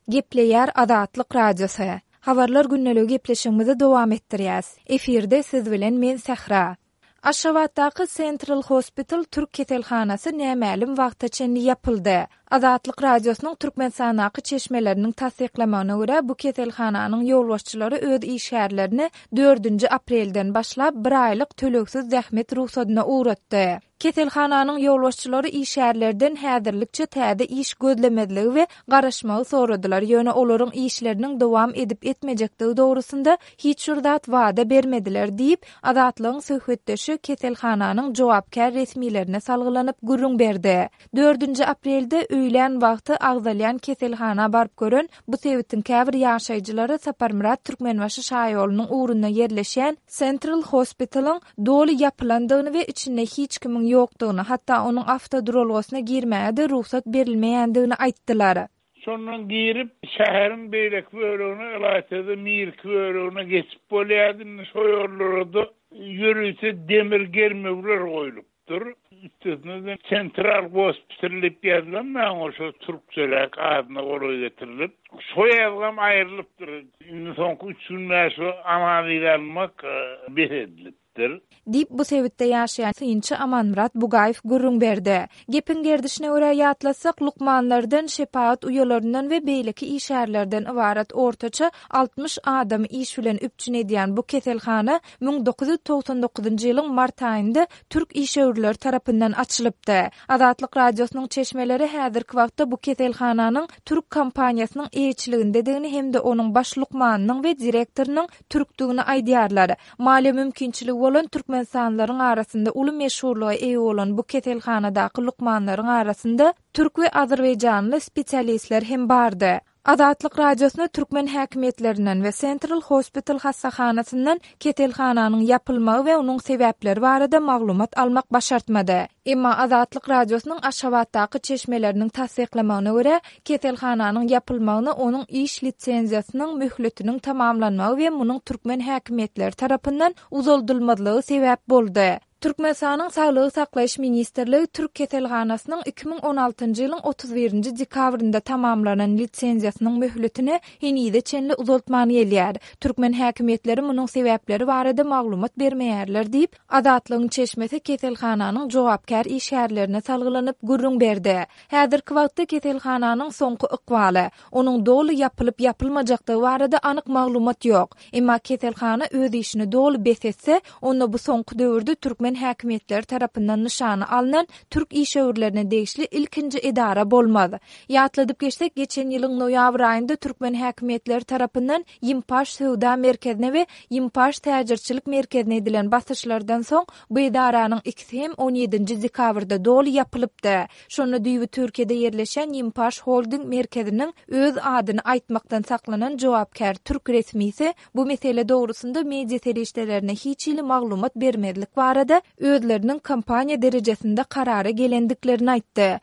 Gepleýär Azatlyk Radiosy. Habarlar gündeligi gepleşigimizi dowam etdirýäs. Efirde siz bilen men Sähra. Aşgabatdaky Central Hospital türk keselhanasy nämälim wagta çenli ýapyldy. Azatlyk Radiosynyň Türkmenistandaky çeşmeleriniň tassyklamagyna görä, bu keselhananyň ýolbaşçylary öz işgärlerini dördünji aprelden başlap bir aýlyk tölegsiz zähmet rugsadyna ugratdy. Keselhananyň ýolbaşçylary işgärlerden häzirlikçe täze iş gözlemezligi we garaşmagy soradylar, ýöne olaryň işleriniň dowam edip-etmejekdigi dogrusynda hiç bir zat wada bermediler diýip, Azatlygyň söhbetdeşi keselhananyň jogapkär resmilerine salgylanyp gürrüň berdi. Dördünji aprelde öýlän wagty agzalýan keselhana baryp gören bu sebitiň käbir ýaşaýjylary Saparmyrat Türkmenbaşy şaýolunyň ugrunda ýerleşýän Central Hospital-yň doly ýapylandygyny we içinde hiç kimiň ýokdugyny, hatda onuň awtoduralgasyna girmäge-de rugsat berilmeýändigini aýtdylar. Şondan girip, şäheriň beýleki bölegine, ylaýta-da Mirki bölegine geçip bolýardy. Indi şo ýollara-da ýörite demir germewler goýlupdyr. Üstesine-de Sentral gospital diýip ýazylan maňa şo türkçeräk adyna golaý getirilip, şo ýazgam aýrylypdyr. Indi soňky üç gün bäri şo analiz almak bes edilipdir. Diýip, bu sebitde ýaşaýan synçy Amanmyrat Bugaýew gürrüň berdi. Gepiň gerdişine görä ýatlatsak, lukmanlardan, şepagat uýalaryndan we beýleki işgärlerden ybarat ortaça 60 adamy iş bilen üpjün edýän bu keselhana 1999-njy ýylyň mart aýynda türk işewürleri tarapyndan açylypdy. Azatlyk Radiosynyň çeşmeleri häzirki wagtda bu keselhananyň türk kompaniýasynyň eýeçiligindedigini hem-de onuň baş lukmanynyň we direktorynyň türkdügini aýdýarlar. Maliýe mümkinçiligi bolan türkmenistanlylaryň arasynda uly meşhurlyga eýe bolan bu keselhanadaky lukmanlaryň arasynda türk we azerbaýjanly spesialistler hem bardy. Azatlyk Radiosyna türkmen häkimiýetlerinden we Central Hospital hassahanasyndan keselhananyň ýapylmagy we onuň sebäpleri barada maglumat almak başartmady. Emma Azatlyk Radiosynyň Aşgabatdaky çeşmeleriniň tassyklamagyna görä, keselhananyň ýapylmagyna onuň iş lisenziýasynyň möhletiniň tamamlanmagy we munuň türkmen häkimiýetleri tarapyndan uzaldylmazlygy sebäp boldy. Türkmenistanyň Saglygy saklaýyş ministrligi türk keselhanasynyň 2016-njy ýylyň 31-nji dekabrynda tamamlanan lisenziýasynyň möhletini henize çenli uzaltman gelýär. Türkmen häkimiýetleri munuň sebäpleri barada maglumat bermeýärler diýip, Azatlygyň çeşmesi keselhananyň jogapkär işgärlerine salgylanyp gürrüň berdi. Häzirki wagtda keselhananyň soňky ykbaly, onuň doly ýapylyp-ýapylmajakdygy barada anyk maglumat ýok. Emma keselhana öz işini doly bes etse, onda bu soňky döwürde türkmen häkimiýetleri tarapyndan nyşana alnan türk işewürlerine degişli ilkinji edara bolmaz. Ýatladyp geçsek, geçen ýylyň noýabr aýynda türkmen häkimiýetleri tarapyndan Ýimpaş söwda merkezine we Ýimpaş täjirçilik merkezine edilen basyşlardan soň, bu edaranyň ikisi hem on ýedinji dekabrda doly ýapylypdy. Şonda düýbi Türkiýede ýerleşýän Ýimpaş Holding merkeziniň öz adyny aýtmakdan saklanan jogapkär türk resmisi bu mesele dogrusynda media serişdelerine hiç hili maglumat bermezlik barada özleriniň kompaniýa derejesinde karara gelendiklerini aýtdy.